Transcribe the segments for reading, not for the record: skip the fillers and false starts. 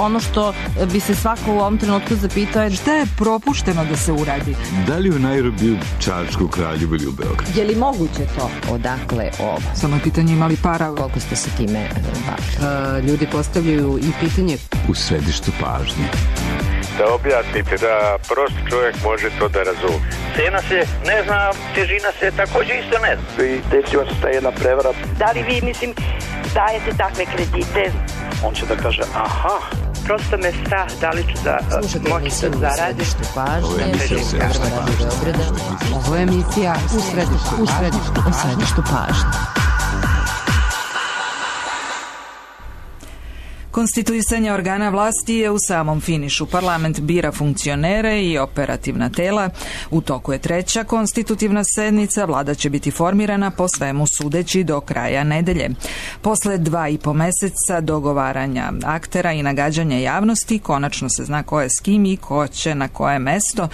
ono što bi se svako u ovom trenutku zapitao je šta je propušteno da se uradi? Da li u Nairobiju, Čačku, Kraljevu ili u Beogradu? Je li moguće to? Odakle ovo? Samo je pitanje ima li para? Koliko ste se time bavili? Ljudi postavljaju i pitanje u središtu pažnje. Da objasnite, da prost čovjek može to da razumije. Cena se ne zna, težina se također isto ne zna. I desila se ta jedna prevara. Da li vi, dajete takve kredite? On će da kaže, aha. Prosto me strah, da li ću da moći da zaradim. Ovo je emisija u središtu pažnje. Konstituisanje organa vlasti je u samom finišu. Parlament bira funkcionere i operativna tela. U toku je 3. konstitutivna sednica. Vlada će biti formirana po svemu sudeći do kraja nedelje. Posle 2,5 meseca dogovaranja aktera i nagađanja javnosti, konačno se zna ko je s kim i ko će na koje mesto.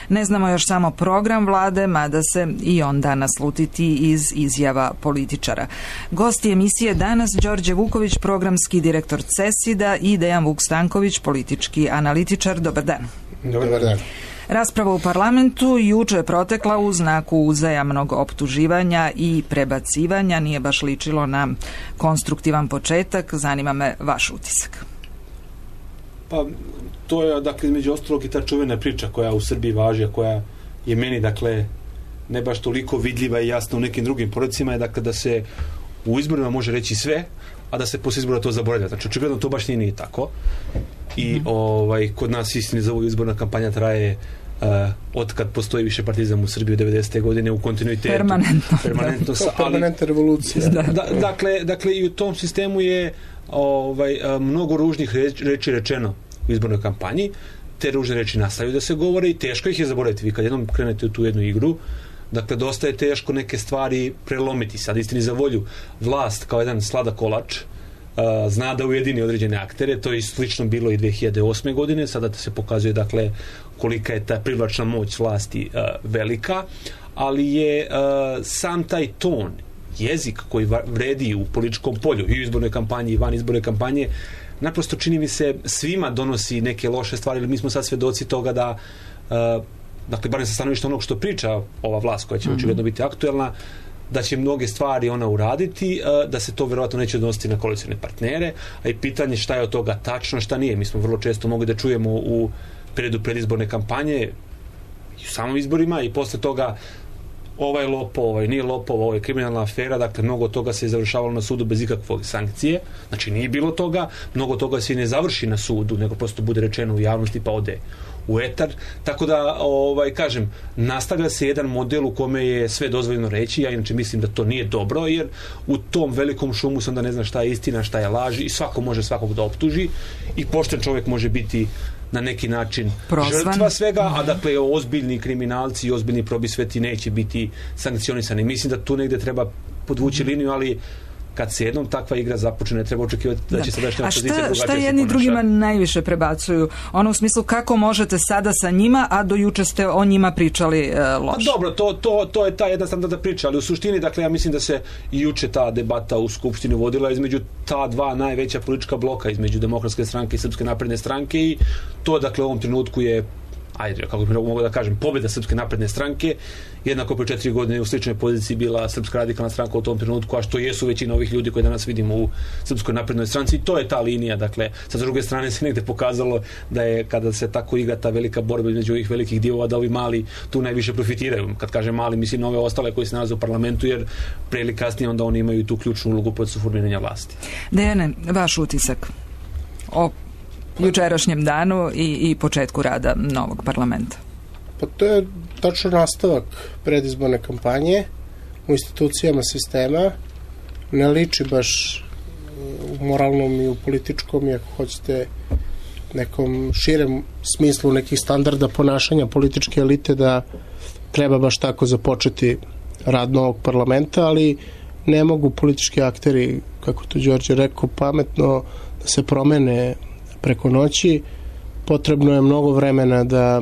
Ne znamo još samo program vlade, mada se i on danas slutiti iz izjava političara. Gosti emisije danas Đorđe Vuković, programski direktor CESID-a i Dejan Vuk Stanković, politički analitičar. Dobar dan. Dobar dan. Rasprava u parlamentu juče je protekla u znaku uzajamnog optuživanja i prebacivanja. Nije baš ličilo na konstruktivan početak. Zanima me vaš utisak. Pa to je, dakle, između ostalog i ta čuvena priča koja u Srbiji važi, a koja je meni, dakle, ne baš toliko vidljiva i jasna u nekim drugim poredcima, je, dakle, da se u izborima može reći sve, a da se posle izbora to zaboravlja. Znači, očigledno to baš nije tako. I kod nas, istini za ovu izborna kampanja traje od kad postoji više partizam u Srbiji u 90. godine u kontinuitetu. Permanentno. Permanentna revolucija. Dakle, i u tom sistemu je mnogo ružnih reči rečeno u izbornoj kampanji. Te ružne reči nastavljaju da se govore i teško ih je zaboraviti. Vi kad jednom krenete u tu jednu igru, dakle, dosta je teško neke stvari prelomiti. Sad, istini za volju, vlast kao jedan sladak kolač zna da ujedini određene aktere. To je slično bilo i 2008. godine. Sada se pokazuje, dakle, kolika je ta privlačna moć vlasti velika, ali je sam taj ton, jezik koji vredi u političkom polju i u izbornoj kampanji i van izborne kampanje, naprosto čini mi se svima donosi neke loše stvari, ili mi smo sad svedoci toga da dakle, barem sa stanovišta onog što priča ova vlast koja će očigledno biti aktuelna, da će mnoge stvari ona uraditi, da se to verovatno neće odnositi na koalicione partnere, a i pitanje šta je od toga tačno, šta nije. Mi smo vrlo često mogli da čujemo u periodu predizborne kampanje i u samom izborima i posle toga ovaj lopov, ovaj nije lopov, ovo je kriminalna afera, dakle mnogo toga se je završavalo na sudu bez ikakve sankcije, znači nije bilo toga, mnogo toga se i ne završi na sudu, nego prosto bude rečeno u javnosti pa ode u etar, tako da kažem, nastavlja se jedan model u kome je sve dozvoljeno reći. Ja inače mislim da to nije dobro, jer u tom velikom šumu se onda ne zna šta je istina, šta je laž i svako može svakog da optuži i pošten čovjek može biti na neki način žrtva svega, a dakle ozbiljni kriminalci i ozbiljni probisveti neće biti sankcionisani. Mislim da tu negde treba podvući liniju, ali kad se jednom takva igra započne, ne treba očekivati da će sadašnja opozicija drugačije se ponaša. Šta jedni drugima najviše prebacuju? Ono u smislu kako možete sada sa njima, a do juče ste o njima pričali loše. Dobro, to je ta jedna standardna priča, ali u suštini, dakle, ja mislim da se i juče ta debata u Skupštini vodila između ta dva najveća politička bloka, između Demokratske stranke i Srpske napredne stranke, i to, dakle, u ovom trenutku je, kako bih mogu da kažem, pobjeda Srpske napredne stranke. Jednako pre 4 godine u sličnoj poziciji bila Srpska radikalna stranka u tom trenutku, a što jesu većina ovih ljudi koje danas vidimo u Srpskoj naprednoj stranci. I to je ta linija. Dakle, sa druge strane se negde pokazalo da je, kada se tako igra ta velika borba između ovih velikih divova, da ovi mali tu najviše profitiraju. Kad kažem mali, mislim na ove ostale koji se nalaze u parlamentu, jer pre ili kasnije onda oni imaju tu ključnu ulogu pod formiranja vlasti. Dejane, vaš utisak o jučerašnjem danu i početku rada novog parlamenta? Pa to je tačno nastavak predizborne kampanje u institucijama sistema. Ne liči baš u moralnom i u političkom, i ako hoćete nekom širem smislu nekih standarda ponašanja političke elite, da treba baš tako započeti rad novog parlamenta, ali ne mogu politički akteri, kako to Đorđe rekao, pametno da se promene preko noći. Potrebno je mnogo vremena da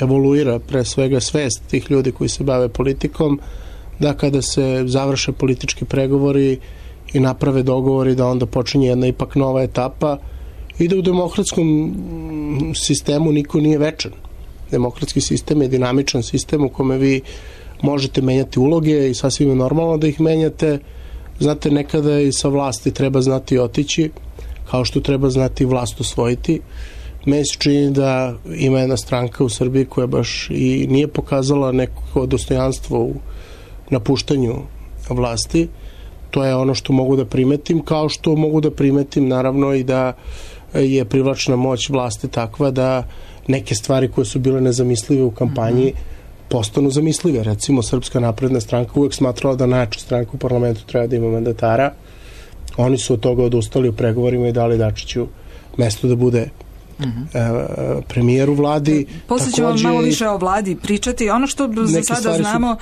evoluira pre svega svest tih ljudi koji se bave politikom, da kada se završe politički pregovori i naprave dogovori, da onda počinje jedna ipak nova etapa i da u demokratskom sistemu niko nije večan. Demokratski sistem je dinamičan sistem u kome vi možete menjati uloge i sasvim je normalno da ih menjate. Znate, nekada i sa vlasti treba znati otići, kao što treba znati vlast osvojiti. Meni se čini da ima jedna stranka u Srbiji koja baš i nije pokazala neko dostojanstvo u napuštanju vlasti. To je ono što mogu da primetim, kao što mogu da primetim naravno i da je privlačna moć vlasti takva da neke stvari koje su bile nezamislive u kampanji postanu zamislive. Recimo, Srpska napredna stranka uvek smatrala da najjača stranka u parlamentu treba da ima mandatara. Oni su od toga odustali u pregovorima i dali Dačiću mesto da bude premijer u vladi. Poslije ćemo malo više o vladi pričati. Ono što za sada znamo,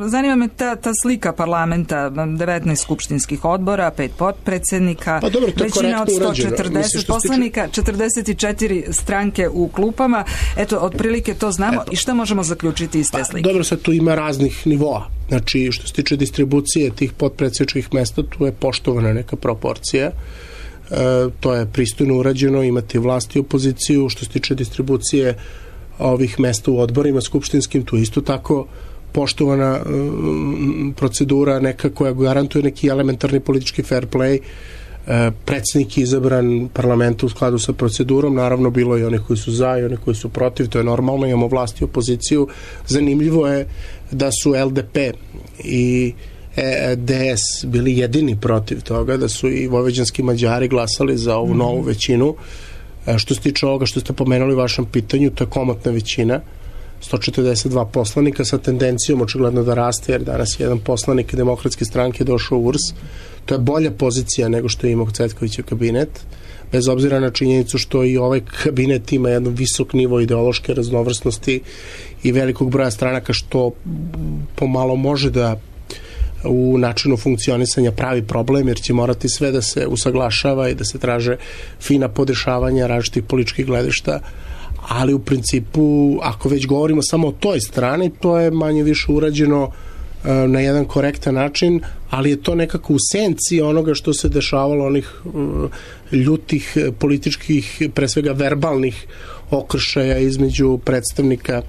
zanima me ta slika parlamenta, 19 skupštinskih odbora, 5 potpredsjednika, većina od 140 poslanika, 44 stranke u klupama. Eto, otprilike to znamo. I šta možemo zaključiti iz te slike? Dobro, sad tu ima raznih nivoa. Znači, što se tiče distribucije tih potpredsjedničkih mesta, tu je poštovana neka proporcija. To je pristojno urađeno, imate vlast i opoziciju. Što se tiče distribucije ovih mesta u odborima skupštinskim, tu je isto tako poštovana procedura neka koja garantuje neki elementarni politički fair play. Predsjednik je izabran parlamentu u skladu sa procedurom, naravno bilo je oni koji su za i oni koji su protiv, to je normalno, imamo vlast i opoziciju. Zanimljivo je da su LDP i DS bili jedini protiv toga, da su i vojvođanski Mađari glasali za ovu novu većinu. Što se tiče ovoga što ste pomenuli u vašem pitanju, to je komotna većina, 142 poslanika sa tendencijom očigledno da raste, jer danas je jedan poslanik Demokratske stranke došao u URS. To je bolja pozicija nego što je imao Cvetkovićev kabinet, bez obzira na činjenicu što i ovaj kabinet ima jedan visok nivo ideološke raznovrsnosti i velikog broja stranaka, što pomalo može da u načinu funkcionisanja pravi problem, jer će morati sve da se usaglašava i da se traže fina podešavanja različitih političkih gledišta, ali u principu, ako već govorimo samo o toj strani, to je manje više urađeno na jedan korektan način, ali je to nekako u senci onoga što se dešavalo, onih ljutih političkih, pre svega verbalnih okršaja između predstavnika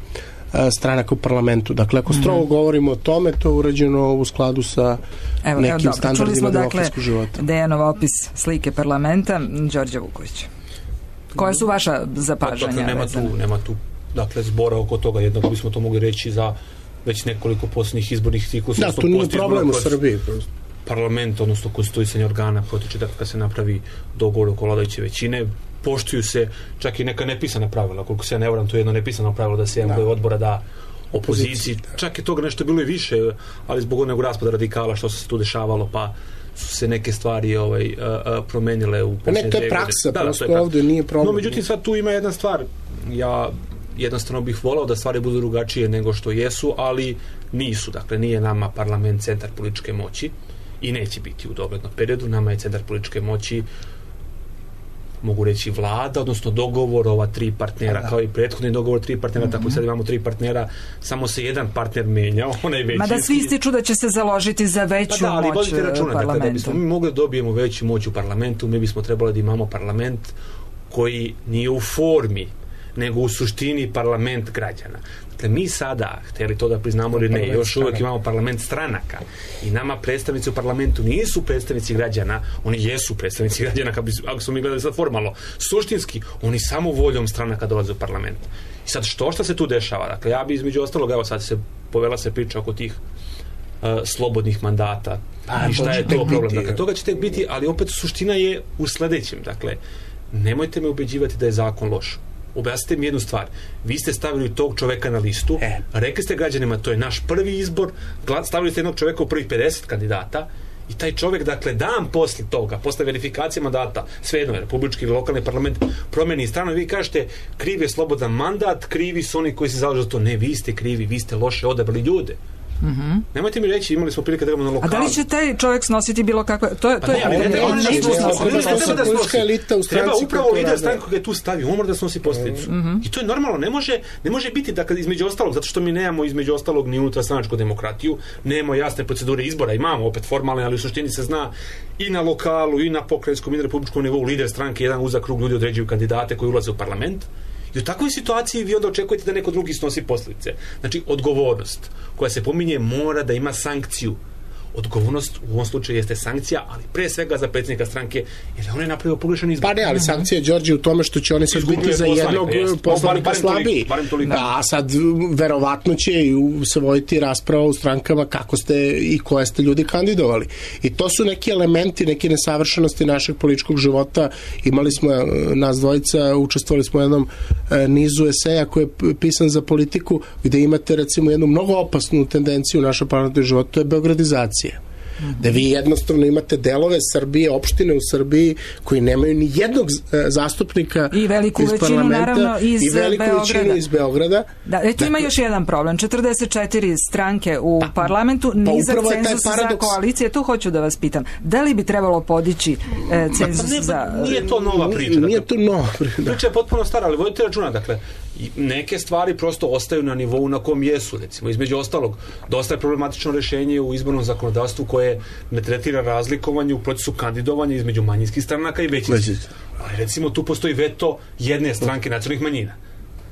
stranaka u parlamentu. Dakle, ako strogo govorimo o tome, to je urađeno u skladu sa nekim standardima demokratskog života. Čuli smo, dakle, Dejanov opis slike parlamenta. Đorđe Vuković. Koje su vaša zapažanja? Dakle, nema tu dakle, zbora oko toga. Jednako bismo to mogli reći za već nekoliko posljednjih izbornih ciklusa. Da, to nije problem u Srbiji. Parlament, odnosno konstituisanje organa, protiče da kada se napravi dogovor oko vladajuće većine, poštuju se čak i neka nepisana pravila. Koliko se ja ne varam, to je jedno nepisano pravilo da se jedan broj odbora da opoziciji. Čak je toga nešto bilo i više, ali zbog onog raspada radikala što se tu dešavalo, pa su se neke stvari promenile u posljednje 2 godine. To je praksa, prosto ovdje nije problem. No, međutim, sad tu ima jedna stvar. Ja jednostavno bih volao da stvari budu drugačije nego što jesu, ali nisu. Dakle, nije nama parlament centar političke moći i neće biti u doglednom periodu. Nama je centar političke moći, mogu reći, vlada, odnosno dogovor ova 3 partnera, kao i prethodni dogovor 3 partnera, tako i sad imamo 3 partnera, samo se jedan partner menjao, onaj većinski. Mada svi ističu da će se založiti za veću moć računa, parlamentu. Dakle, da bismo mi mogli da dobijemo veću moć u parlamentu, mi bismo trebali da imamo parlament koji nije u formi, nego u suštini parlament građana. Dakle, mi sada, htjeli to da priznamo ili ne, još uvijek imamo parlament stranaka i nama predstavnici u parlamentu nisu predstavnici građana, oni jesu predstavnici građana, ako smo mi gledali sad formalno. Suštinski, oni samo voljom stranaka dolaze u parlament. I sad, što se tu dešava? Dakle, ja bi između ostalog, evo sad povela se priča oko tih slobodnih mandata i šta je to problem. Dakle, toga će tek biti, ali opet suština je u sledećem. Dakle, nemojte me ubeđivati da je zakon loš. Objasnite mi jednu stvar. Vi ste stavili tog čoveka na listu, rekli ste građanima, to je naš prvi izbor, stavili ste jednog čoveka u prvih 50 kandidata i taj čovek, dakle, dan posle toga, posle verifikacije mandata, svejedno je, republički ili lokalni parlament promeni stranu i vi kažete, kriv je slobodan mandat, krivi su oni koji se zalažu za to. Ne, vi ste krivi, vi ste loše odabrali ljude. Nemojte mi reći, imali smo prilike da imamo na lokalu. A da li će taj čovjek snositi bilo kakve... Treba upravo lider stranke koga je tu stavio, on mora da snosi posljedicu. I to je normalno, ne može biti da između ostalog, zato što mi nemamo između ostalog ni unutarstranačku demokratiju, nemamo jasne procedure izbora, imamo opet formalne, ali u suštini se zna i na lokalu, i na pokrajinskom, i na republičkom nivou lider stranke, jedan uzak krug ljudi određuju kandidate koji ulaze u parlament. I u takvoj situaciji vi onda očekujete da neko drugi snosi posljedice. Znači, odgovornost koja se pominje mora da ima sankciju. Odgovornost u ovom slučaju jeste sankcija, ali pre svega za predsjednika stranke, jer on je napravio pogrešan izbor. Pa ne, ali sankcija, Đorđe, u tome što će oni sad biti za jednog poslanika slabiji. A sad, verovatno će se voditi rasprava u strankama kako ste i koje ste ljudi kandidovali. I to su neki elementi, neke nesavršenosti našeg političkog života. Imali smo, nas dvojica, učestvovali smo u jednom nizu eseja koji je pisan za politiku, gde imate, recimo, jednu mnogo opasnu tendenciju u našem parlamentarnom životu, to je beogradizacija. Da vi jednostavno imate delove Srbije, opštine u Srbiji koji nemaju ni jednog zastupnika i veliku iz većinu, naravno, iz i veliku većinu iz Beograda. Da, eto ima još jedan problem. 44 stranke u parlamentu, nizak cenzus za koalicije. Tu hoću da vas pitam. Da li bi trebalo podići cenzus za... Nije to nova priča. Nije to nova priča. Priča je potpuno stara, ali vodite računa, dakle, neke stvari prosto ostaju na nivou na kom jesu, recimo, između ostalog, dosta je problematično rješenje u izbornom zakonodavstvu koje ne tretira razlikovanje u procesu kandidovanja između manjinskih stranaka i većinskih. Ali recimo tu postoji veto jedne stranke nacionalnih manjina.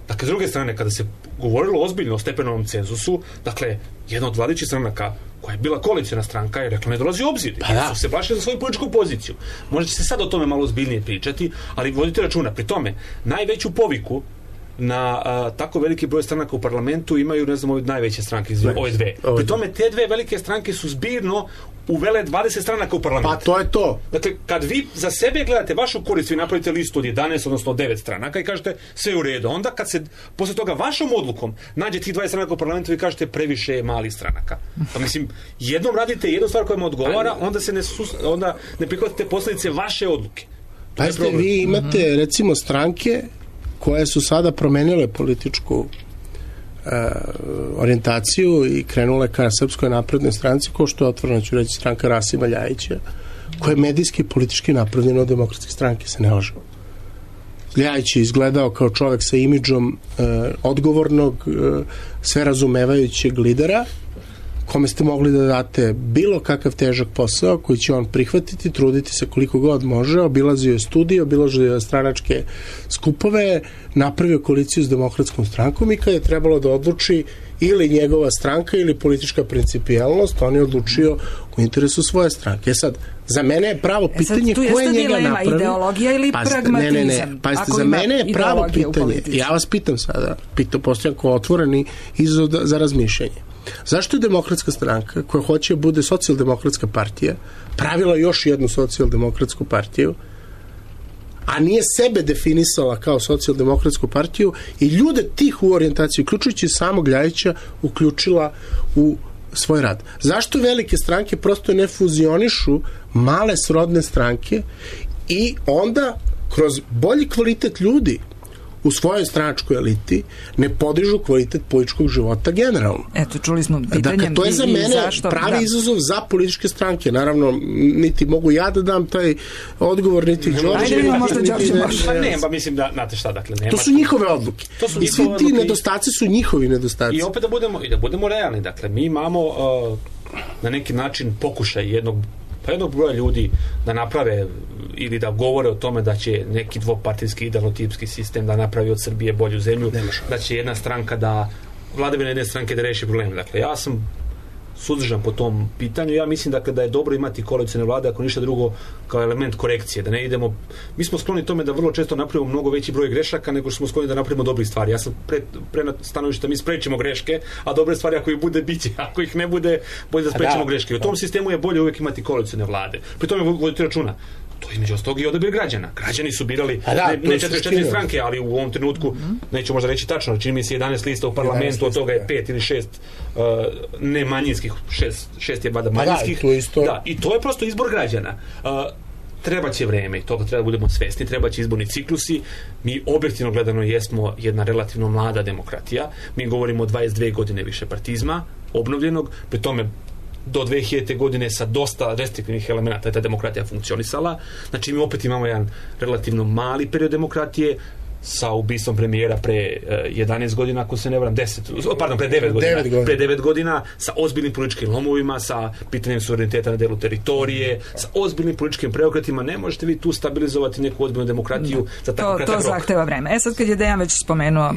Dakle, s druge strane, kada se govorilo ozbiljno o stepenovom cenzusu, dakle, jedna od vladajućih stranaka koja je bila koalicijna stranka je rekla ne dolazi u obzir. Su se plašili za svoju političku poziciju. Možda će se sad o tome malo ozbiljnije pričati, ali vodite računa, pri tome, najveću poviku na tako veliki broj stranaka u parlamentu imaju, ne znam, ove najveće stranke, ove dve. Pri tome, te dve velike stranke su zbirno uvele 20 stranaka u parlamentu. Pa to je to. Dakle, kad vi za sebe gledate vašu korist, vi napravite listu od 11, odnosno 9 stranaka i kažete sve u redu. Onda kad se posle toga vašom odlukom nađe tih 20 stranaka u parlamentu, vi kažete previše je malih stranaka. Pa mislim, jednom radite jednu stvar koja vam odgovara, onda ne prihvatite posljedice vaše odluke. Pa vi imate, recimo, stranke koje su sada promenile političku orijentaciju i krenule ka Srpskoj naprednoj stranci, ko što je otvoreno ću reći stranka Rasima Ljajića, koja je medijski i politički napravljena od demokratske stranke, se ne lažemo. Ljajić je izgledao kao čovek sa imidžom odgovornog, sve razumevajućeg lidera, kome ste mogli da date bilo kakav težak posao koji će on prihvatiti, truditi se koliko god može, obilazio je studije, obilazio je stranačke skupove, napravio koaliciju s demokratskom strankom i kad je trebalo da odluči ili njegova stranka ili politička principijelnost, on je odlučio u interesu svoje stranke. Sad, za mene je pravo pitanje ko je njega napravio. Ideologija ili pragmatizam? Ne. Pazite, za mene je pravo pitanje. Ja vas pitam sada, postavljam kao otvoreni izazov za razmišljanje. Zašto je demokratska stranka, koja hoće da bude socijaldemokratska partija, pravila još jednu socijaldemokratsku partiju, a nije sebe definisala kao socijaldemokratsku partiju i ljude tih u orijentaciji, uključujući samog Ljajića, uključila u svoj rad? Zašto velike stranke prosto ne fuzionišu male srodne stranke i onda kroz bolji kvalitet ljudi u svojoj stranačkoj eliti ne podižu kvalitet političkog života generalno. Eto, čuli smo pitanjem. Dakle, to je za mene pravi izazov za političke stranke. Naravno, niti mogu ja da dam taj odgovor, niti Đorđe. Ne, pa mislim da, znate šta, dakle, nema. To su njihove odluke. I svi ti nedostaci su njihovi nedostaci. I opet da budemo realni. Dakle, mi imamo na neki način pokušaj jednog broja ljudi da naprave ili da govore o tome da će neki dvopartijski idealotipski sistem da napravi od Srbije bolju zemlju, da će jedna stranka vladavina jedne stranke da reši probleme. Dakle, ja sam suzdržan po tom pitanju. Ja mislim da je dobro imati koalicione vlade, ako ništa drugo, kao element korekcije, da ne idemo. Mi smo skloni tome da vrlo često napravimo mnogo veći broj grešaka nego što smo skloni da napravimo dobrih stvari. Ja sam pre na stanovišta mi sprečimo greške, a dobre stvari ako ih bude biće, ako ih ne bude, bolje da sprečimo greške. U tom sistemu je bolje uvijek imati koalicione vlade. Pri tome vodite računa. To između ostalog i odabir građana. Građani su birali ne 44 stranke, ali u ovom trenutku, neću možda reći tačno, čini mi se 11 lista u parlamentu, od toga je 5 ili 6 nemanjinskih, 6 je vada manjinskih. Da, i to je prosto izbor građana. treba će vreme i toga treba da budemo svesni, treba će izborni ciklusi. Mi objektivno gledano jesmo jedna relativno mlada demokratija. Mi govorimo o 22 godine višepartizma, obnovljenog, pri tome do 2000. godine sa dosta restriktivnih elemenata je ta demokratija funkcionisala. Znači mi opet imamo jedan relativno mali period demokratije sa ubistvom premijera pre 11 godina, ako se ne varam, pre 9 godina. Pre 9 godina, sa ozbiljnim političkim lomovima, sa pitanjem suvereniteta na delu teritorije, sa ozbiljnim političkim preokretima. Ne možete vi tu stabilizovati neku ozbiljnu demokratiju za tako kratak rok. To zahteva vreme. Sad kad je Dejan već spomenuo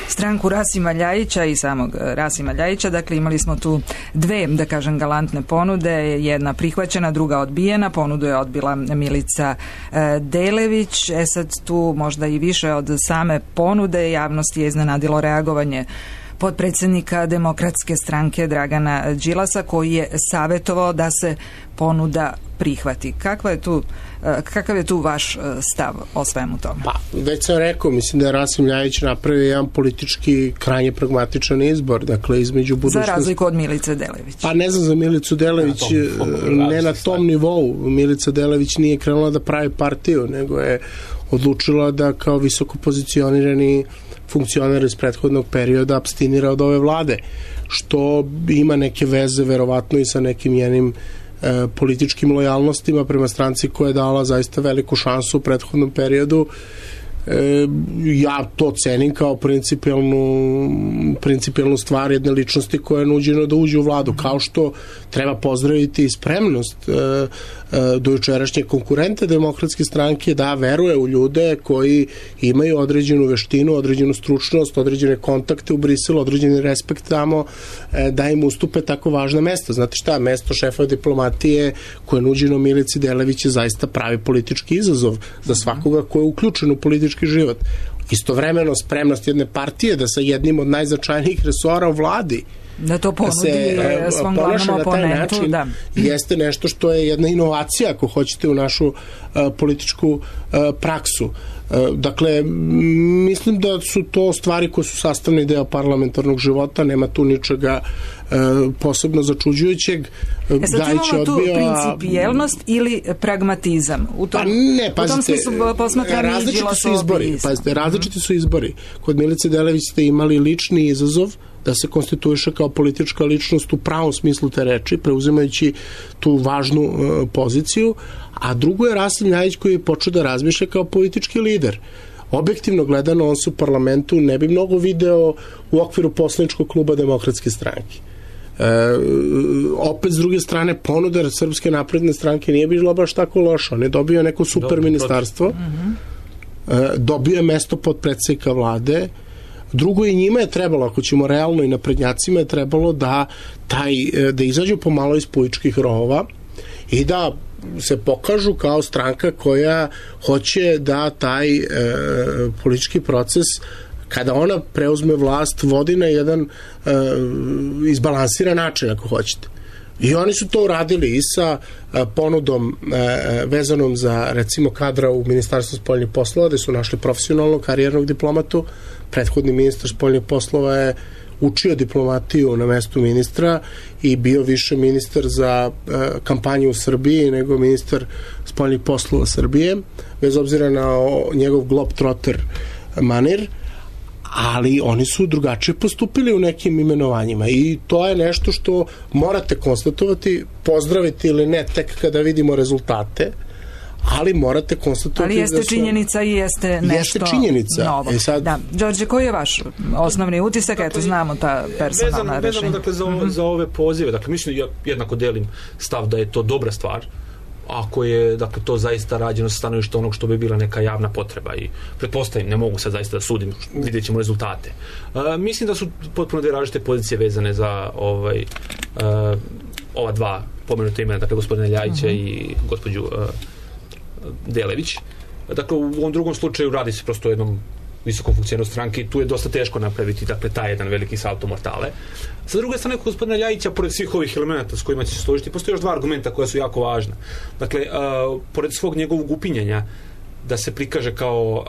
stranku Rasima Ljajića i samog Rasima Ljajića, dakle imali smo tu dve, da kažem, galantne ponude, jedna prihvaćena, druga odbijena. Ponudu je odbila Milica Delević. Sad tu možda i više od same ponude javnosti je iznenadilo reagovanje potpredsjednika Demokratske stranke Dragana Đilasa, koji je savjetovao da se ponuda prihvati. Kakav je tu vaš stav o svemu tome? Pa, već sam rekao, mislim da je Rasim Ljajić napravio jedan politički krajnje pragmatičan izbor, dakle između budućnosti... Za razliku od Milice Delević. Pa ne znam za Milicu Delević, ne na tom nivou. Milica Delević nije krenula da pravi partiju, nego je odlučila da kao visoko pozicionirani funkcioner iz prethodnog perioda apstinira od ove vlade, što ima neke veze verovatno i sa nekim njenim političkim lojalnostima prema stranci koja je dala zaista veliku šansu u prethodnom periodu. Ja to cenim kao principijelnu stvar jedne ličnosti koja je nuđena da uđe u vladu, kao što treba pozdraviti spremnost dojučerašnje konkurente Demokratske stranke da veruje u ljude koji imaju određenu veštinu, određenu stručnost, određene kontakte u Briselu, određeni respekt tamo, da im ustupe tako važna mesta. Znate šta, mesto šefa diplomatije koje je nuđeno Milici Delević je zaista pravi politički izazov za svakoga ko je uključen u politički život. Istovremeno spremnost jedne partije da sa jednim od najznačajnijih resora u vladi da to ponudi svom glavnom oponentu, da. Jeste nešto što je jedna inovacija, ako hoćete, u našu političku praksu. Dakle, mislim da su to stvari koje su sastavni deo parlamentarnog života, nema tu ničega posebno začuđujućeg. Sad imamo tu principijelnost ili pragmatizam? Pa ne, pazite, u tom smislu različiti su izbori. Pazite, različiti su izbori. Kod Milice Delević ste imali lični izazov da se konstituiše kao politička ličnost u pravom smislu te reči, preuzimajući tu važnu poziciju, a drugo je Rasim Ljajić koji je počeo da razmišlja kao politički lider. Objektivno gledano, on se u parlamentu ne bi mnogo video u okviru poslaničkog kluba Demokratske stranke. Opet s druge strane ponuda Srpske napredne stranke nije bila baš tako loša, on je dobio neko super ministarstvo, dobio je mesto potpredsednika vlade. Drugo, i njima je trebalo, ako ćemo realno, i naprednjacima je trebalo da izađu pomalo iz političkih rovova i da se pokažu kao stranka koja hoće da taj politički proces, kada ona preuzme vlast, vodi na jedan izbalansiran način, ako hoćete. I oni su to uradili i sa ponudom vezanom za, recimo, kadra u Ministarstvu spoljnih poslova, gde su našli profesionalnog karijernog diplomatu. Prethodni ministar spoljnih poslova je učio diplomatiju na mestu ministra i bio više ministar za kampanju u Srbiji nego ministar spoljnih poslova Srbije, bez obzira na njegov globetrotter manir, ali oni su drugačije postupili u nekim imenovanjima i to je nešto što morate konstatovati, pozdraviti ili ne tek kada vidimo rezultate, ali morate konstatovati. Ali jeste činjenica i jeste nešto novo. Da. Đorđe, koji je vaš osnovni utisak? Eto, znamo ta personalna rešenja. Vezano za ove pozive, dakle, mislim, ja jednako delim stav da je to dobra stvar, ako je, dakle, to zaista rađeno sa stanovišta onog što bi bila neka javna potreba i pretpostavim, ne mogu sad zaista da sudim, vidjet ćemo rezultate. Mislim da su potpuno dve različite pozicije vezane za ova dva pomenuta imena, dakle, gospodina Ljajića i gospođu Delević. Dakle, u ovom drugom slučaju radi se prosto o jednom visokom funkcioneru stranke i tu je dosta teško napraviti, dakle, taj jedan veliki salto mortale. Sa druge strane, kod gospodina Ljajića, pored svih ovih elemenata s kojima će se složiti, postoje još dva argumenta koja su jako važna. Dakle, pored svog njegovog upinjanja da se prikaže kao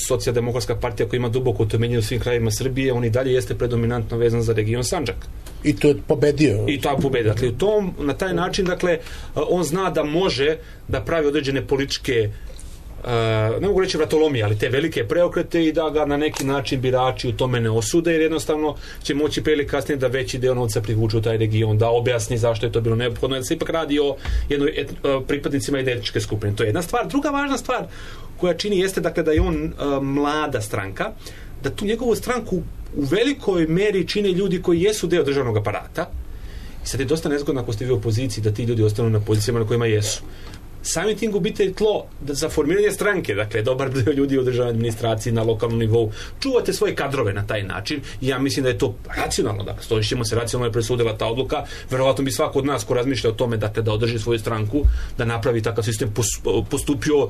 socijaldemokratska partija koja ima duboko utemeljenje u svim krajevima Srbije, on i dalje jeste predominantno vezan za region Sandžak. I to je pobedio. I to je pobedio. Dakle, na taj način, dakle, on zna da može da pravi određene političke ne mogu reći vratolomije, ali te velike preokrete i da ga na neki način birači u tome ne osude, jer jednostavno će moći pre ili kasnije da veći deo novca privuče u taj region, da objasni zašto je to bilo neophodno, da se ipak radi o jednoj pripadnicima jedne etničke skupine. To je jedna stvar. Druga važna stvar koja čini jeste, dakle, da je on mlada stranka, da tu njegovu stranku u velikoj meri čine ljudi koji jesu deo državnog aparata. I sad je dosta nezgodno ako ste vi u opoziciji da ti ljudi ostanu na pozicijama na kojima jesu. Samim tim gubite tlo za formiranje stranke, dakle, dobar deo ljudi u državnoj administraciji na lokalnom nivou. Čuvate svoje kadrove na taj način i ja mislim da je to racionalno, dakle, stojićemo se, racionalno je presudila ta odluka, verovatno bi svako od nas ko razmišlja o tome, dakle, da održi svoju stranku, da napravi takav sistem, postupio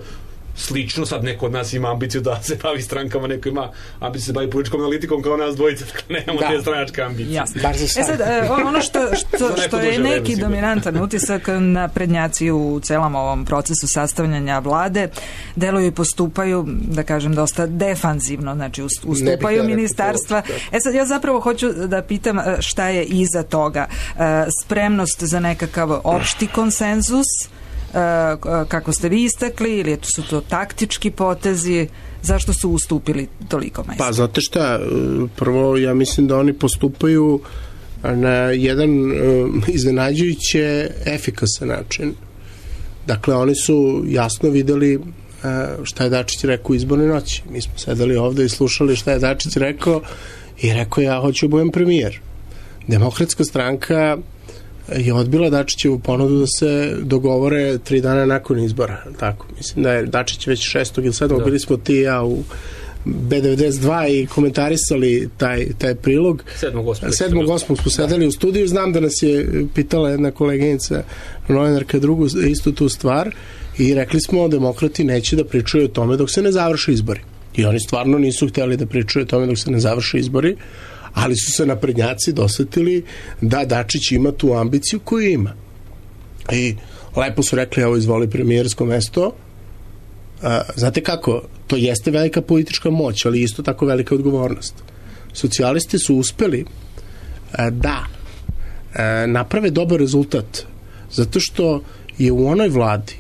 slično. Sad neko od nas ima ambiciju da se bavi strankama, neko ima ambiciju da se bavi političkom analitikom kao nas dvojice, dakle nemamo te stranačke ambicije. Jasno. Sad, ono što je neki dominantan utisak, naprednjaci u celom ovom procesu sastavljanja vlade deluju i postupaju, da kažem, dosta defanzivno, znači ustupaju ministarstva. Sad, ja zapravo hoću da pitam šta je iza toga. Spremnost za nekakav opšti konsenzus, kako ste vi istakli, ili su to taktički potezi, zašto su ustupili toliko mesta? Pa, znate šta, prvo ja mislim da oni postupaju na jedan iznenađujuće efikasan način. Dakle, oni su jasno videli šta je Dačić rekao u izbornoj noći. Mi smo sedeli ovde i slušali šta je Dačić rekao i rekao ja hoću da budem premijer. Demokratska stranka je odbila Dačićevu ponudu da se dogovore 3 dana nakon izbora. Tako, mislim da je Dačić već 6. ili 7. bili smo ti i ja u B92 i komentarisali taj prilog. 7.8. smo sedeli u studiju. Znam da nas je pitala jedna koleginica, novinarka, drugu istu tu stvar i rekli smo demokrati neće da pričaju o tome dok se ne završe izbori. I oni stvarno nisu hteli da pričaju o tome dok se ne završe izbori, ali su se naprednjaci dosetili da Dačić ima tu ambiciju koju ima. I lepo su rekli, evo izvoli premijersko mesto. Znate kako, to jeste velika politička moć, ali isto tako velika odgovornost. Socijalisti su uspeli da naprave dobar rezultat, zato što je u onoj vladi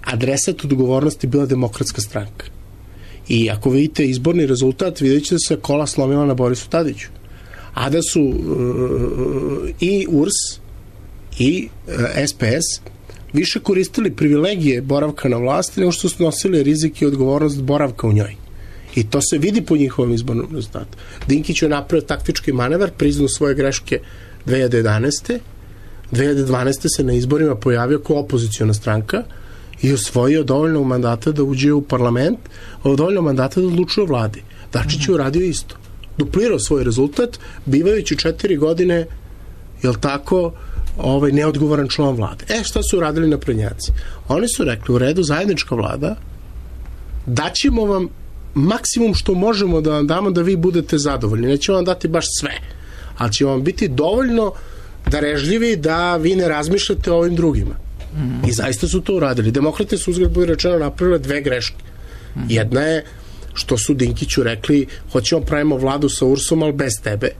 adresat odgovornosti bila Demokratska stranka. I ako vidite izborni rezultat, vidjet ćete da se kola slomila na Borisu Tadiću. A da su i URS i SPS više koristili privilegije boravka na vlasti nego što su nosili rizik i odgovornost boravka u njoj. I to se vidi po njihovom izbornom rezultatu. Dinkić je napravio taktički manevar, priznao svoje greške 2011. 2012. se na izborima pojavio kao opoziciona stranka i osvojio dovoljno mandata da uđe u parlament, dovoljno mandata da odlučuje o vladi. Dačić je uradio isto. Duplirao svoj rezultat, bivajući 4 godine, jel tako, neodgovoran član vlade. Šta su uradili naprednjaci? Oni su rekli, u redu, zajednička vlada, daćemo vam maksimum što možemo da vam damo da vi budete zadovoljni. Nećemo vam dati baš sve, ali će vam biti dovoljno darežljivi da vi ne razmišljate o ovim drugima. I zaista su to uradili. Demokrate su, uzgled budi rečeno, napravile 2 greške. Jedna je što su Dinkiću rekli, hoćemo pravimo vladu sa URS-om, ali bez tebe.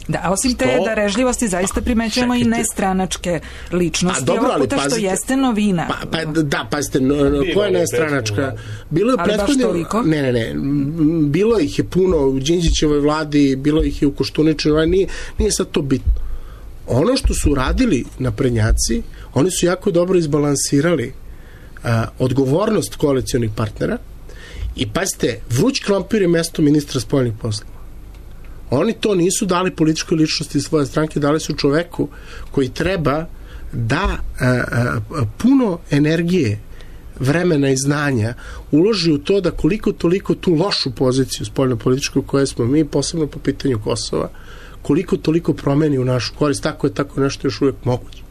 Da, osim te darežljivosti zaista primećujemo i nestranačke ličnosti. Ovog puta što jeste novina. Pazite, koja je nestranačka? Bilo je prethodno... Ne. Bilo ih je puno u Đinđićevoj vladi, bilo ih je u Koštuničevoj, nije sad to bitno. Ono što su radili naprednjaci, oni su jako dobro izbalansirali odgovornost koalicionih partnera i pazite, vruć krompir je mesto ministra spoljnih poslova. Oni to nisu dali političkoj ličnosti svoje stranke, dali su čoveku koji treba da puno energije, vremena i znanja uloži u to da koliko toliko tu lošu poziciju spoljnopolitičku koje smo mi, posebno po pitanju Kosova, koliko toliko promeni u našu korist, tako je tako nešto još uvijek moguće.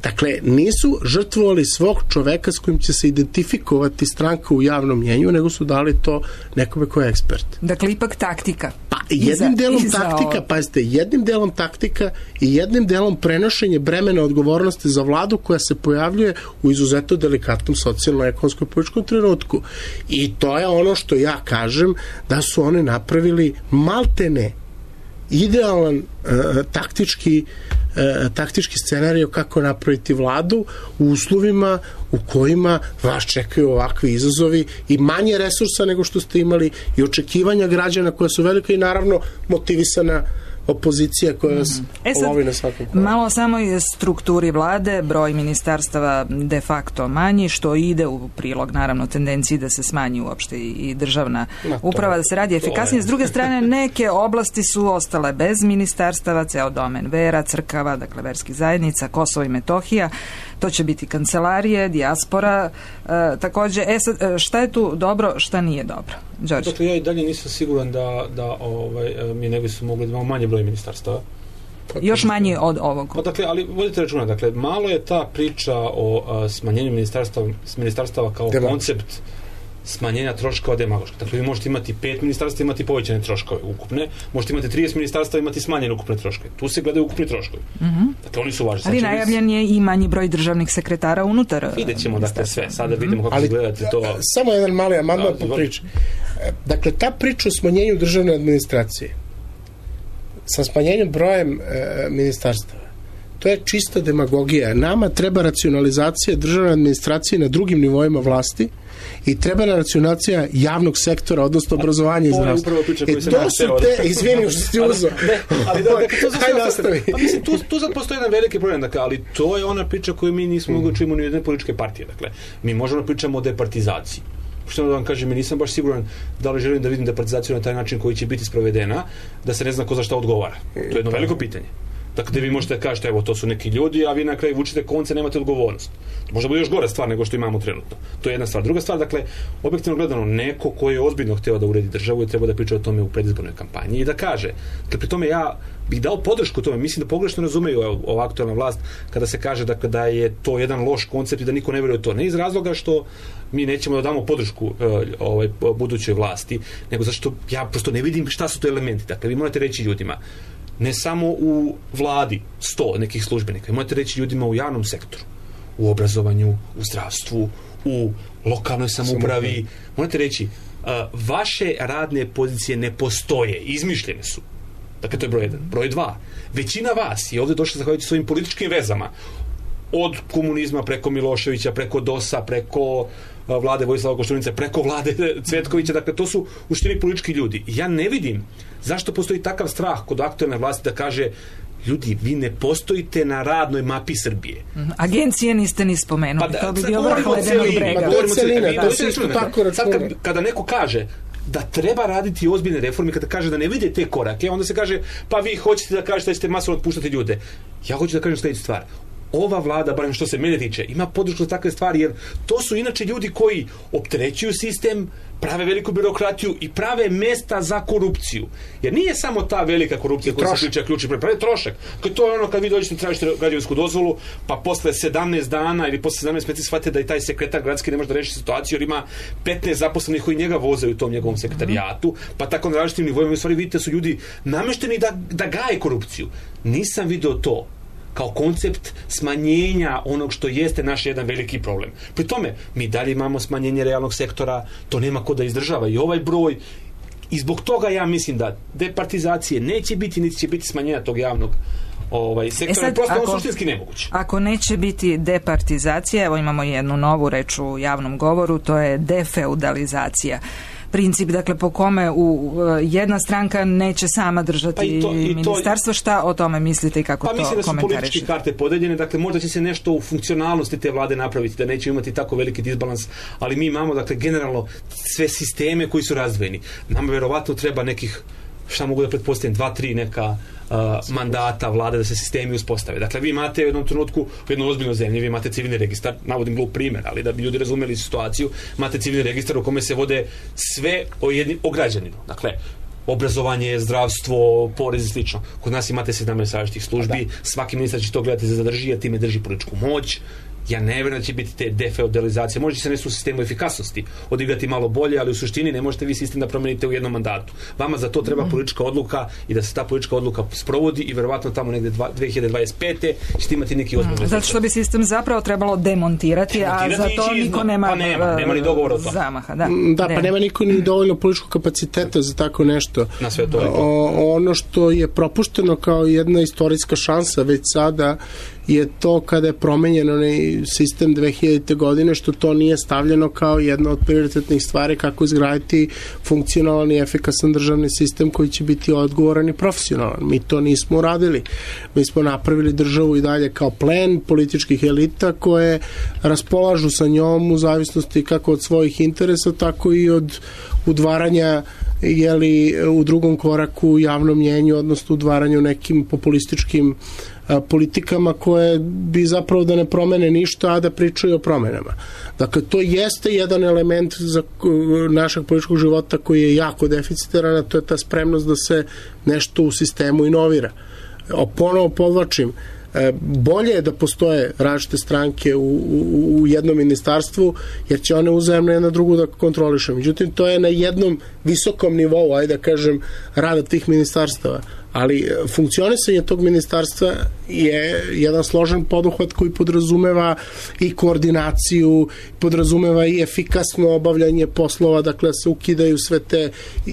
Dakle, nisu žrtvovali svog čoveka s kojim će se identifikovati stranka u javnom mjenju, nego su dali to nekome ko je ekspert. Dakle, ipak taktika. Pa, jednim delom taktika, pazite, jednim delom taktika i jednim delom prenošenje bremena odgovornosti za vladu koja se pojavljuje u izuzetno delikatnom socijalno-ekonomskom političkom trenutku. I to je ono što ja kažem da su oni napravili maltene idealan taktički scenarij kako napraviti vladu u uslovima u kojima vas čekaju ovakvi izazovi i manje resursa nego što ste imali i očekivanja građana koja su velika i naravno motivisana opozicija koja vas lovi na svakom koraku. Malo samo je strukturi vlade, broj ministarstava de facto manji, što ide u prilog naravno tendenciji da se smanji uopšte i državna uprava, da se radi efikasnije. S druge strane, neke oblasti su ostale bez ministarstava, ceo domen vera, crkava, dakle verskih zajednica, Kosovo i Metohija, to će biti kancelarije, dijaspora, takođe, šta je tu dobro, šta nije dobro? Đorđe? Dakle, ja i dalje nisam siguran da mi ne bi su mogli da imamo manje broj ministarstava. Još manje od ovog. Pa dakle, ali vodite računa, dakle, malo je ta priča o smanjenju ministarstava kao koncept smanjenja troškova demagoška. Dakle, vi možete imati 5 ministarstva, imati povećane troškove ukupne, možete imati 30 ministarstva, imati smanjene ukupne troškove. Tu se gledaju ukupni troškovi. Dakle, oni su važni. Ali najavljen je i manji broj državnih sekretara unutar. Vidjet ćemo, dakle, sve. Sada vidimo kako gledate to. Samo jedan mali amandman po priči. Dakle, ta priča o smanjenju državne administracije sa smanjenjem brojem ministarstava, to je čista demagogija. Nama treba racionalizacija državne administracije na drugim nivoima vlasti i treba racionalizacija javnog sektora, odnosno obrazovanja i zdravstva. To su te, izvini što si uzeo. Hajde nastavi. Pa mislim, tu sad postoji jedan veliki problem, dakle, ali to je ona priča koju mi nismo mogli čujemo ni jedne političke partije. Dakle, mi možemo pričamo o departizaciji. Što da vam kažem, mi nisam baš siguran da li želim da vidim departizaciju na taj način koji će biti sprovedena, da se ne zna ko za šta odgovara. To je jedno veliko pitanje. Dakle, vi možete da kažete, evo, to su neki ljudi, a vi na kraju vučite konce, nemate odgovornost. Možda bude još gore stvar nego što imamo trenutno. To je jedna stvar. Druga stvar, dakle, objektivno gledano, neko ko je ozbiljno hteo da uredi državu i treba da priča o tome u predizbornoj kampanji i da kaže. Dakle, pri tome ja bih dao podršku tome. Mislim da pogrešno razumeju ova aktualna vlast kada se kaže dakle, da je to jedan loš koncept i da niko ne veruje u to. Ne iz razloga što mi nećemo da damo podršku budućoj vlasti, nego zato što ja prosto ne vidim šta su to elementi. Dakle, vi morate reći ljudima, ne samo u vladi 100 nekih službenika, vi morate reći ljudima u javnom sektoru, u obrazovanju, u zdravstvu, u lokalnoj samoupravi, morate reći vaše radne pozicije ne postoje, izmišljene su. Dakle, to je broj 1. Broj 2. Većina vas je ovdje došla zahvaljujući svojim političkim vezama. Od komunizma preko Miloševića, preko DOS-a, preko vlade Vojislava Koštunice, preko vlade Cvetkovića. Dakle, to su u suštini politički ljudi. I ja ne vidim zašto postoji takav strah kod aktualne vlasti da kaže ljudi, vi ne postojite na radnoj mapi Srbije. Agencije niste ni spomenuli. Pa to bi bio vrh ledenog brega. Kada neko kaže da treba raditi ozbiljne reforme, kada kaže da ne vide te korake, onda se kaže, pa vi hoćete da kažete da ćete masovno otpuštati ljude. Ja hoću da kažem sljedeću stvar. Ova vlada, barem što se mene tiče, ima podršku za takve stvari, jer to su inače ljudi koji opterećuju sistem, prave veliku birokratiju i prave mesta za korupciju. Jer nije samo ta velika korupcija koja se priča ključni pravi trošak. To je ono kad vi dođete tražite građevinsku dozvolu, pa posle 17 dana ili posle 17 meseci shvatite da i taj sekretar gradski ne može da reši situaciju jer ima 15 zaposlenih koji njega voze u tom njegovom sekretarijatu, pa tako na različitim nivoima u stvari vidite su ljudi namešteni da gaje korupciju. Nisam video to kao koncept smanjenja onog što jeste naš jedan veliki problem. Pri tome, mi dalje imamo smanjenje realnog sektora, to nema ko da izdržava i ovaj broj, i zbog toga ja mislim da departizacije neće biti, niti će biti smanjenja tog javnog sektora, prosto on suštinski nemoguće. Ako neće biti departizacija, evo imamo jednu novu reč u javnom govoru, to je defeudalizacija. Princip, dakle, po kome jedna stranka neće sama držati ministarstvo. Šta o tome mislite i kako to komentarišete? Pa mislim da su političke karte podeljene, dakle, možda će se nešto u funkcionalnosti te vlade napraviti, da neće imati tako veliki disbalans, ali mi imamo, dakle, generalno sve sisteme koji su razdvojeni. Nama verovatno treba nekih, šta mogu da pretpostavim, 2-3 neka mandata vlade da se sistemi uspostave. Dakle, vi imate u jednom trenutku u jednoj ozbiljnoj zemlji, vi imate civilni registar, navodim glup primjer, ali da bi ljudi razumeli situaciju, imate civilni registar u kome se vode sve o građaninu. Dakle, obrazovanje, zdravstvo, porez i slično. Kod nas imate 17 različitih službi, svaki ministar će to gledati za zadrži, a time drži političku moć. Ja ne vjerujem da će biti te defeudalizacije. Može se nešto u sistemu efikasnosti odigrati malo bolje, ali u suštini ne možete vi sistem da promenite u jednom mandatu. Vama za to treba politička odluka i da se ta politička odluka sprovodi i verovatno tamo negde 2025. ćete imati neki ozbiljni rezultat. Zato što bi sistem zapravo trebalo demontirati, a za to niko nema ni dogovora o tome. Zamaha. Pa nema niko ni dovoljno političkog kapaciteta za tako nešto. Na sve to. Ono što je propušteno kao jedna istorijska šansa već sada je to kada je promenjen onaj sistem 2000. godine, što to nije stavljeno kao jedna od prioritetnih stvari kako izgraditi funkcionalan i efikasan državni sistem koji će biti odgovoran i profesionalan. Mi to nismo uradili. Mi smo napravili državu i dalje kao plen političkih elita koje raspolažu sa njom u zavisnosti kako od svojih interesa, tako i od udvaranja u drugom koraku u javnom mnjenju, odnosno udvaranju nekim populističkim politikama koje bi zapravo da ne promene ništa, a da pričaju o promenama. Dakle, to jeste jedan element za našeg političkog života koji je jako deficitaran, a to je ta spremnost da se nešto u sistemu inovira. Ponovo podvlačim, bolje je da postoje različite stranke u jednom ministarstvu, jer će one uzajemno jedna drugu da kontroliše. Međutim, to je na jednom visokom nivou, ajde da kažem, rada tih ministarstava. Ali funkcionisanje tog ministarstva je jedan složen poduhvat koji podrazumeva i koordinaciju, podrazumeva i efikasno obavljanje poslova, dakle se ukidaju sve te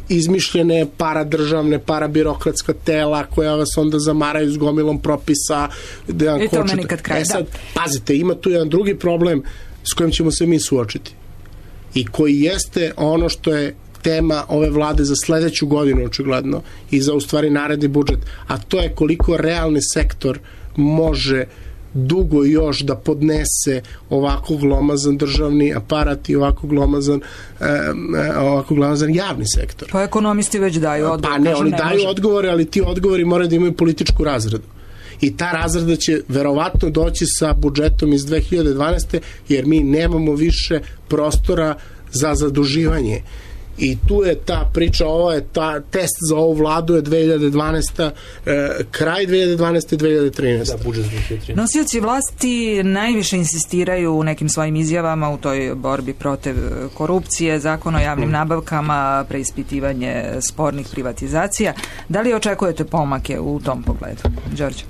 izmišljene paradržavne, parabirokratska tela koja vas onda zamaraju s gomilom propisa. I tome nikad kraj. Sad, pazite, ima tu jedan drugi problem s kojim ćemo se mi suočiti i koji jeste ono što je tema ove vlade za sledeću godinu očigledno i za u stvari naredni budžet, a to je koliko realni sektor može dugo još da podnese ovako glomazan državni aparat i ovako glomazan javni sektor. Pa ekonomisti već daju odgovor. Pa ne, oni daju odgovore, ali ti odgovori moraju da imaju političku razradu. I ta razrada će verovatno doći sa budžetom iz 2012. jer mi nemamo više prostora za zaduživanje. I tu je ta priča, ovo je test za ovu vladu je 2012. Kraj 2012. 2013. Da, budžet 2013. Nosioci vlasti najviše insistiraju u nekim svojim izjavama u toj borbi protiv korupcije, zakon o javnim nabavkama, preispitivanje spornih privatizacija. Da li očekujete pomake u tom pogledu? Đorđe?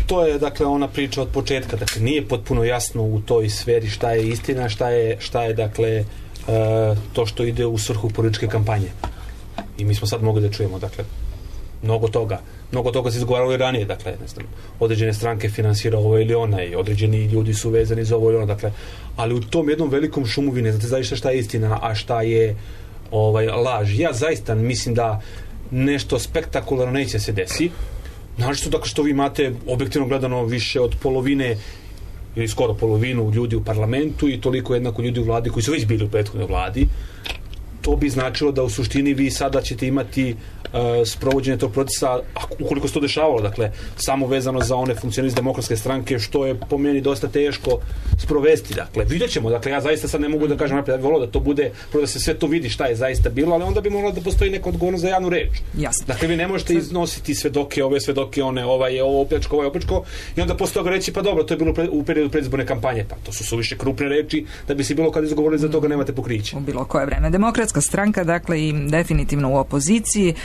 To je, dakle, ona priča od početka. Dakle, nije potpuno jasno u toj sferi šta je istina, šta je dakle, to što ide u svrhu političke kampanje. I mi smo sad mogli da čujemo, dakle, mnogo toga se izgovaralo i ranije, dakle, ne znam, određene stranke finansira ovo ili ona i određeni ljudi su vezani za ovo ili ona, dakle, ali u tom jednom velikom šumu vi ne znate zaista šta je istina, a šta je laž. Ja zaista mislim da nešto spektakularno neće se desi, našto dakle što vi imate objektivno gledano više od polovine ili skoro polovinu ljudi u parlamentu i toliko jednako ljudi u vladi koji su već bili u prethodnoj vladi. To bi značilo da u suštini vi sada ćete imati sprovođenje tog procesa, ukoliko se to dešavalo, dakle, samo vezano za one funkcioniste demokratske stranke, što je po meni dosta teško sprovesti. Dakle, vidjet ćemo, dakle, ja zaista sad ne mogu da kažem naprijed, ja bih volio da to bude, da se sve to vidi šta je zaista bilo, ali onda bi moralo da postoji neka odgovornost za javnu reč. Jasno. Dakle, vi ne možete iznositi svedoke, ove svedoke, one, ovaj je ovo opljačko, i onda posle toga reći, pa dobro, to je bilo u periodu predizborne kampanje, pa to su suviše krupne reči, da bi se bilo kad izgovorili za toga nemate pokriće. U bilo koje vreme. Demokratska stranka, dakle, i definitivno u opoziciji.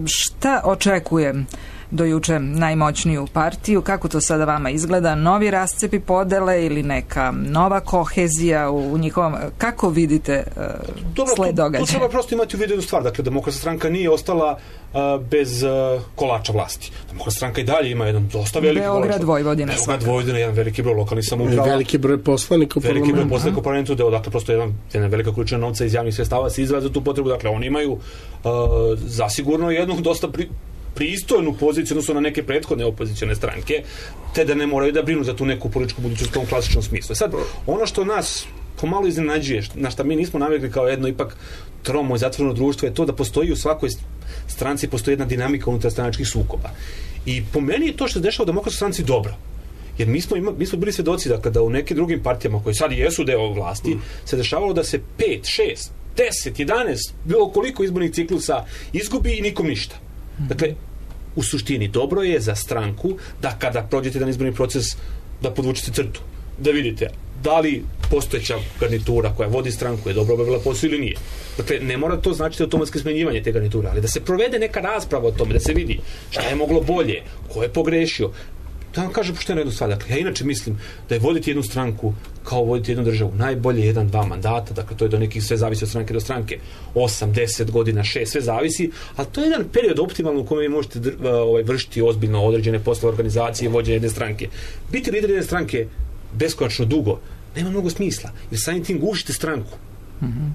Šta očekuje do juče najmoćniju partiju? Kako to sada vama izgleda? Novi rascepi podele ili neka nova kohezija u njihovom... Kako vidite sled događaja? To treba prosto imati u vidu jednu stvar. Dakle, Demokratska stranka nije ostala bez kolača vlasti. Demokratska stranka i dalje ima jedan dosta veliki Beograd, Vojvodina. Beograd, Vojvodina, jedan veliki broj lokalnih samouprava. Veliki broj poslanika u parlamentu. Veliki broj poslanika u parlamentu, dakle, prosto jedna velika količina novca iz javnih sredstava se izdvaja za tu potrebu. Dakle, oni imaju zasigurno jednu dosta pristojnu poziciju odnosno na neke prethodne opozicione stranke, te da ne moraju da brinu za tu neku političku budućnost u tom klasičnom smislu. Sad, ono što nas pomalo iznenađuje, na šta mi nismo navikli kao jedno ipak tromo i zatvoreno društvo, je to da postoji u svakoj stranci postoji jedna dinamika unutar stranačkih sukoba. I po meni je to što se dešava u Demokratskoj stranci dobro. Jer mi smo bili svedoci da kada u nekim drugim partijama koji sad jesu deo vlasti, se dešavalo da se 5, 6, 10, 11, bilo koliko izbornih ciklusa izgubi i nikom ništa. Dakle, u suštini dobro je za stranku da kada prođete jedan izborni proces da podvučete crtu. da vidite da li postojeća garnitura koja vodi stranku je dobro obavila posao ili nije. Dakle, ne mora to značiti automatsko smenjivanje te garniture, ali da se provede neka rasprava o tome, da se vidi šta je moglo bolje, ko je pogrešio. Da vam kažem pošteno jednu stvar. Dakle, ja inače mislim da je voditi jednu stranku kao voditi jednu državu najbolje 1-2 mandata, dakle to je do nekih, sve zavisi od stranke do stranke, 8, 10 godina, 6, sve zavisi, ali to je jedan period optimalno u kojem vi možete vršiti ozbiljno određene poslove organizacije i vođenje jedne stranke. Biti lider jedne stranke beskonačno dugo nema mnogo smisla, jer samim tim gušite stranku.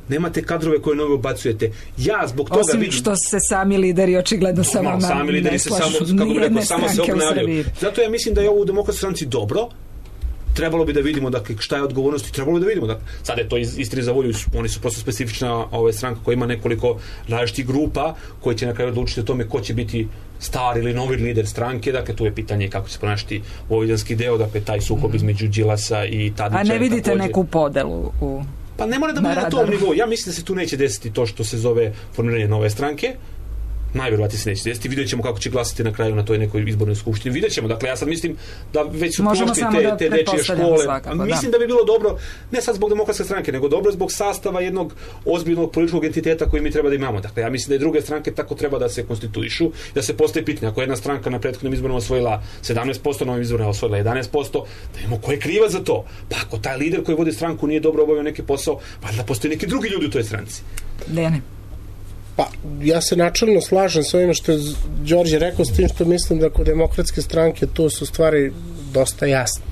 Nemate kadrove koje nove ubacujete. Ja zbog toga osim što se sami lideri očigledno sa vama sami lideri se samo, kako bi rekao, samo se obnavljaju. Zato ja mislim da je ovo u Demokratskoj stranci dobro. Trebalo bi da vidimo, dakle, šta je odgovornost i trebalo bi da vidimo. Dakle, sad je to istini za volju, oni su prosto specifična stranka koja ima nekoliko različitih grupa koji će na kraju odlučiti o tome ko će biti stari ili novi lider stranke. Dakle, tu je pitanje kako će se ponašati vojvođanski deo, dakle, taj sukob između Đilasa i Tadića. A ne vidite također neku podelu u... Pa ne mora da bude na tom nivou. Ja mislim da se tu neće desiti to što se zove formiranje nove stranke. Najvjerovatnije se neće desiti. Vidjet ćemo kako će glasati na kraju na toj nekoj izbornoj skupštini. Vidjet ćemo. Dakle, ja sad mislim da već su prošli te dečije škole. Svakako, mislim da bi bilo dobro, ne sad zbog Demokratske stranke, nego dobro zbog sastava jednog ozbiljnog političkog entiteta koji mi treba da imamo. Dakle, ja mislim da i druge stranke tako treba da se konstituišu, da se postaje pitanje. Ako jedna stranka na prethodnim izborima osvojila 17%, novim izborima osvojila 11%, da imamo ko je kriva za to. Pa ako taj lider koji vodi stranku nije dobro obavio neki posao, valjda postoje neki drugi ljudi u toj stranci. Dejane. Pa, ja se načelno slažem s ovim što je Đorđe rekao, s tim što mislim da kod Demokratske stranke tu su stvari dosta jasne.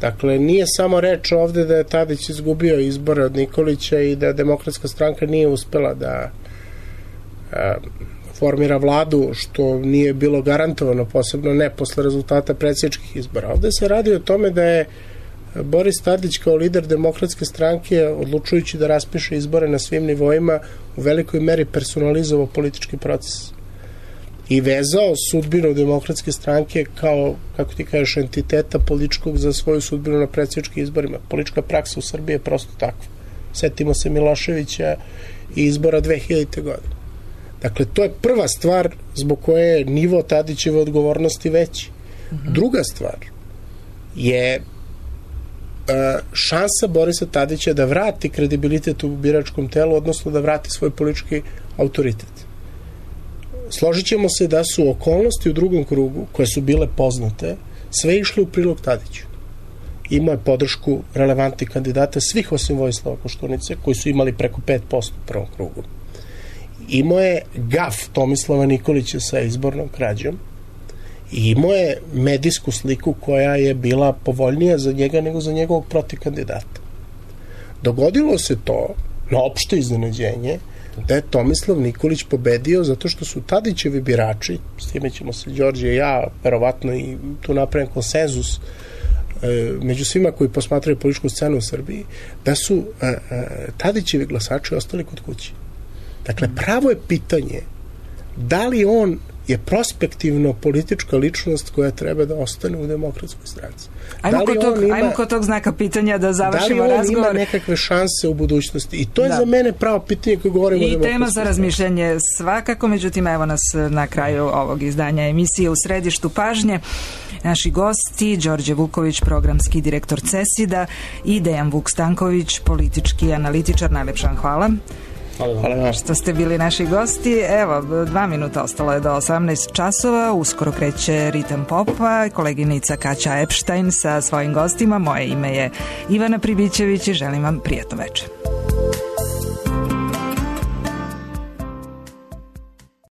Dakle, nije samo reč ovde da je Tadić izgubio izbore od Nikolića i da Demokratska stranka nije uspela da formira vladu, što nije bilo garantovano, posebno ne posle rezultata predsjedničkih izbora. Ovde se radi o tome da je Boris Tadić kao lider Demokratske stranke, odlučujući da raspiše izbore na svim nivoima, u velikoj meri personalizovao politički proces i vezao sudbinu Demokratske stranke kao, kako ti kažeš, entiteta političkog za svoju sudbinu na predsjedničkim izborima. Politička praksa u Srbiji je prosto takva. Setimo se Miloševića i izbora 2000. godine. Dakle, to je prva stvar zbog koje je nivo Tadićeve odgovornosti veći. Druga stvar je šansa Borisa Tadića da vrati kredibilitet u biračkom telu, odnosno da vrati svoj politički autoritet. Složit ćemo se da su okolnosti u drugom krugu, koje su bile poznate, sve išle u prilog Tadiću. Imao je podršku relevantnih kandidata, svih osim Vojislava Koštunice, koji su imali preko 5% u prvom krugu. Imao je gaf Tomislava Nikolića sa izbornom krađom i imao je medijsku sliku koja je bila povoljnija za njega nego za njegovog protivkandidata. Dogodilo se to, na opšte iznenađenje, da je Tomislav Nikolić pobedio zato što su Tadićevi birači, s time ćemo se Đorđe i ja verovatno i tu napravim konsenzus među svima koji posmatraju političku scenu u Srbiji, da su Tadićevi glasači ostali kod kuće. Dakle, pravo je pitanje da li on je prospektivno politička ličnost koja treba da ostane u Demokratskoj stranci. Ajmo kod tog znaka pitanja da završimo razgovor. Da li on ima nekakve šanse u budućnosti? I to je za mene pravo pitanje koje govorimo o Demokratskoj stranci. I tema za razmišljanje svakako, međutim, evo nas na kraju ovog izdanja emisije U središtu pažnje. Naši gosti, Đorđe Vuković, programski direktor CESID-a i Dejan Vuk-Stanković, politički analitičar. Najlepša vam hvala. Hvala što ste bili naši gosti. Evo, 2 minuta ostalo je do 18 časova. Uskoro kreće Ritam Popa. Koleginica Kaća Epštajn sa svojim gostima. Moje ime je Ivana Pribićević i želim vam prijatno večer.